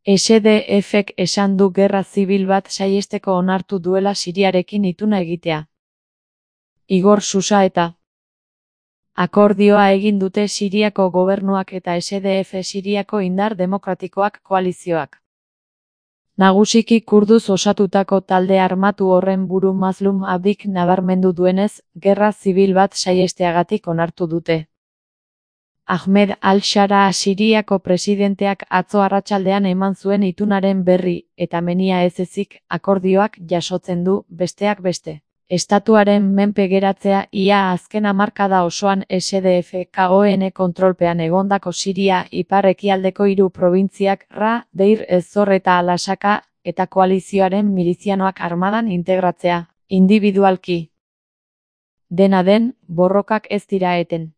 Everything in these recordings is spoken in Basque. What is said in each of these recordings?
SDF-ek esan du gerra zibil bat saihesteko onartu duela Siriarekin ituna egitea. Igor Xusaeta. Akordioa egin dute Siriako gobernuak eta SDF Siriako indar demokratikoak koalizioak. Nagusiki kurduz osatutako talde armatu horren buru Mazlum Abdik nabarmendu duenez, gerra zibil bat saihesteagatik onartu dute. Ahmed al-Shara Siriako presidenteak atzo arratsaldean eman zuen itunaren berri, eta menia ez ezik, akordioak jasotzen du, besteak beste. Estatuaren menpe geratzea ia azken hamarkada osoan SDF-KON kontrolpean egondako Siria ipar-ekialdeko 3 probintziak Ra, Deir ez-Zor eta Al-Asaka, eta koalizioaren milizianoak armadan integratzea, indibidualki. Dena den, borrokak ez dira eten.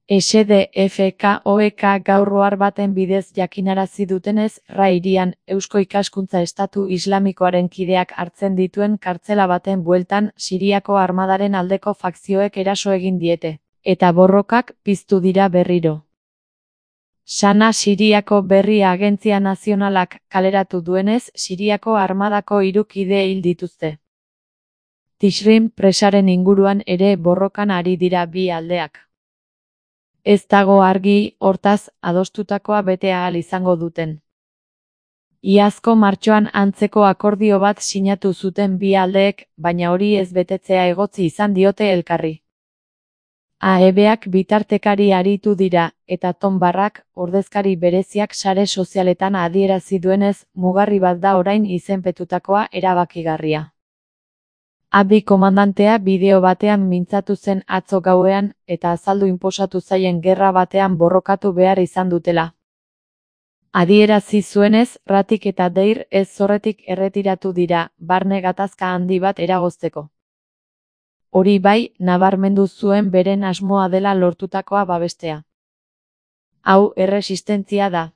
SDF-KOK gaur ohar baten bidez jakinarazi dutenez, Ra hirian, Eusko Ikaskuntza Estatu Islamikoaren kideak hartzen dituen kartzela baten bueltan Siriako armadaren aldeko fakzioek eraso egin diete, eta borrokak piztu dira berriro. Sana Siriako berri agentzia nazionalak kaleratu duenez, Siriako armadako 3 kide hil dituzte. Tishrin presaren inguruan ere borrokan ari dira bi aldeak. Ez dago argi, hortaz, adostutakoa bete ahal izango duten. Iazko martxoan antzeko akordio bat sinatu zuten bi aldeek, baina hori ez betetzea egotzi izan diote elkarri. AEBak bitartekari aritu dira, eta Tom Barrak, ordezkari bereziak sare sozialetan adierazi duenez, mugarri bat da orain izenpetutakoa erabakigarria. Abdi komandantea bideo batean mintzatu zen atzo gauean, eta azaldu inposatu zaien gerra batean borrokatu behar izan dutela. Adierazi zuenez, Ratik eta Deir ez-Zorretik erretiratu dira, barne gatazka handi bat eragozteko. Hori bai, nabarmendu zuen beren asmoa dela lortutakoa babestea. Hau erresistentzia da.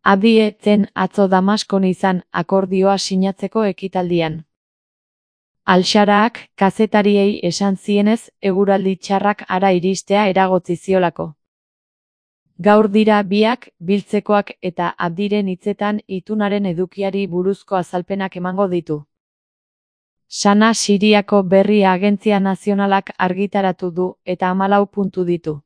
Abdi ez zen atzo Damaskon izan, akordioa sinatzeko ekitaldian. Al-Sharaak kazetariei esan zienez, eguraldi txarrak hara iristea eragotzi ziolako. Gaur dira biak, biltzekoak eta Abdiren hitzetan itunaren edukiari buruzko azalpenak emango ditu. Sana Siriako berri agentzia nazionalak argitaratu du eta 14 puntu ditu.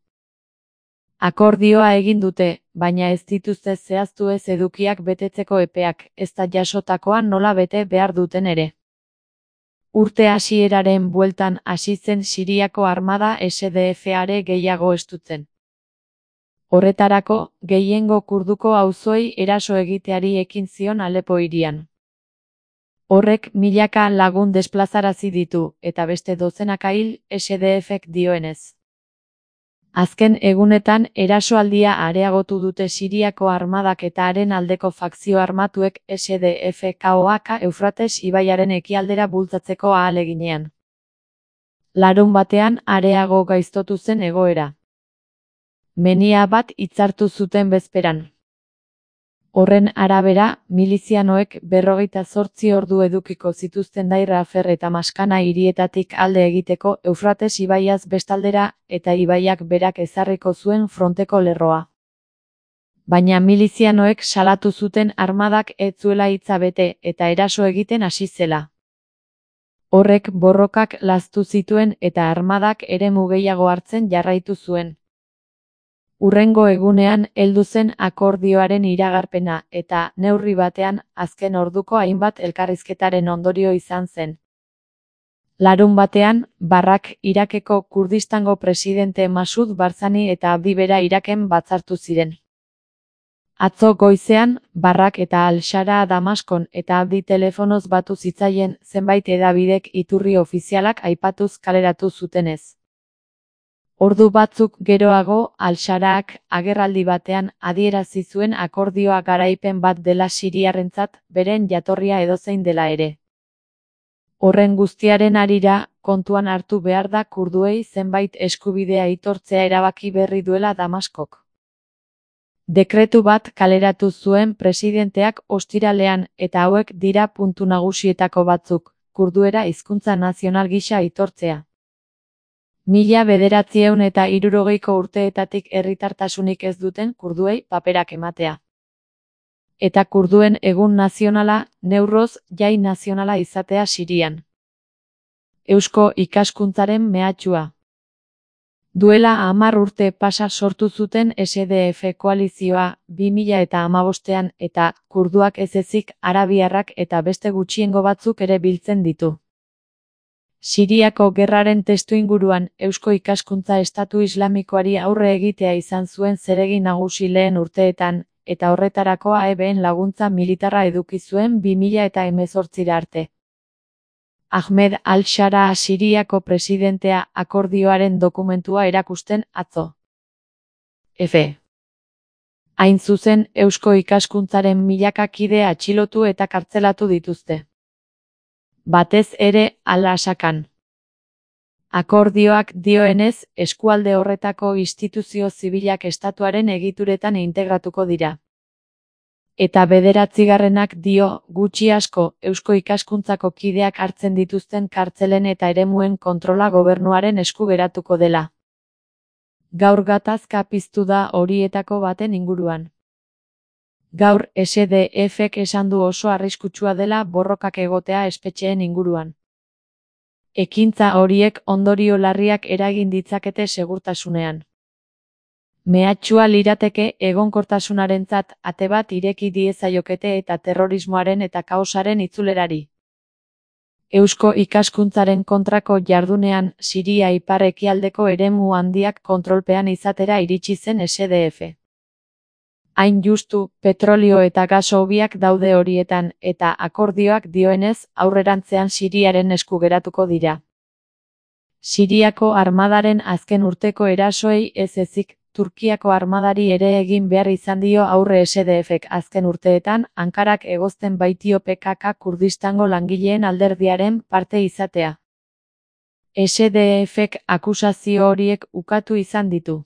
Akordioa egin dute, baina ez dituzte zehaztu ez edukiak betetzeko epeak, ez da jasotakoa nola bete behar duten ere. Urte hasieraren bueltan hasi zen Siriako armada SDF-are gehiago estutzen. Horretarako, gehiengo kurduko auzoei eraso egiteari ekin zion Alepo hirian. Horrek milaka lagun desplazarazi ditu, eta beste dozenaka hil SDF-ek dioenez. Azken egunetan erasoaldia areagotu dute Siriako armadak eta haren aldeko fakzio armatuek SDF-KOK Eufrates ibaiaren ekialdera bultzatzeko ahaleginean. Larun batean areago gaiztotu zen egoera. Menia bat hitzartu zuten bezperan. Horren arabera, milizianoek 48 ordu edukiko zituzten Dair Afer eta Maskana hirietatik alde egiteko Eufrates ibaiaz bestaldera eta ibaiak berak ezarriko zuen fronteko lerroa. Baina milizianoek salatu zuten armadak ez zuela hitza bete eta eraso egiten hasi zela. Horrek borrokak laztu zituen eta armadak eremu gehiago hartzen jarraitu zuen. Hurrengo egunean heldu zen akordioaren iragarpena eta, neurri batean, azken orduko hainbat elkarrizketaren ondorio izan zen. Larun batean, Barrak Irakeko Kurdistango presidente Masud Barzani eta Abdi bera Iraken batzartu ziren. Atzo goizean, Barrak eta Al-Shara Damaskon eta Abdi telefonoz batu zitzaien zenbait hedabidek iturri ofizialak aipatuz kaleratu zutenez. Ordu batzuk geroago, Al-Sharaak agerraldi batean adierazi zuen akordioa garaipen bat dela Siriarrentzat, beren jatorria edozein dela ere. Horren guztiaren harira, kontuan hartu behar da kurduei zenbait eskubidea aitortzea erabaki berri duela Damaskok. Dekretu bat kaleratu zuen presidenteak ostiralean eta hauek dira puntu nagusietako batzuk, kurduera hizkuntza nazional gisa aitortzea. 1960ko urteetatik herritartasunik ez duten kurduei paperak ematea. eta kurduen egun nazionala, Newroz jai nazionala izatea Sirian. Eusko ikaskuntzaren mehatxua. Duela 10 urte pasa sortu zuten SDF koalizioa 2015an eta kurduak ez ezik arabiarrak eta beste gutxiengo batzuk ere biltzen ditu. Siriako gerraren testuinguruan Eusko ikaskuntza estatu islamikoari aurre egitea izan zuen zeregin nagusi lehen urteetan, eta horretarako AEBen laguntza militarra eduki zuen 2018 arte. Ahmed al-Shara Siriako presidentea akordioaren dokumentua erakusten atzo. F. Hain zuzen, Eusko ikaskuntzaren milaka kide atxilotu eta kartzelatu dituzte. Batez ere, Al-Asakan. Akordioak dioenez, eskualde horretako instituzio zibilak estatuaren egituretan integratuko dira. Eta 9. dio, gutxi asko, Eusko ikaskuntzako kideak hartzen dituzten kartzelen eta eremuen kontrola gobernuaren esku geratuko dela. Gaur gatazka piztu da horietako baten inguruan. Gaur SDFek esan du oso arriskutsua dela borrokak egotea espetxeen inguruan. Ekintza horiek ondorio larriak eragin ditzakete segurtasunean. Mehatxua lirateke egonkortasunarentzat ate bat ireki diezaiokete eta terrorismoaren eta kaosaren itzulerari. Eusko ikaskuntzaren kontrako jardunean Siria ipar-ekialdeko eremu handiak kontrolpean izatera iritsi zen SDF. Hain justu, petrolio eta gas hobiak daude horietan, eta akordioak dioenez, aurrerantzean Siriaren esku geratuko dira. Siriako armadaren azken urteko erasoei ez ezik, Turkiako armadari ere egin behar izan dio aurre SDFek azken urteetan, Ankarak egozten baitio PKK Kurdistango langileen alderdiaren parte izatea. SDFek akusazio horiek ukatu izan ditu.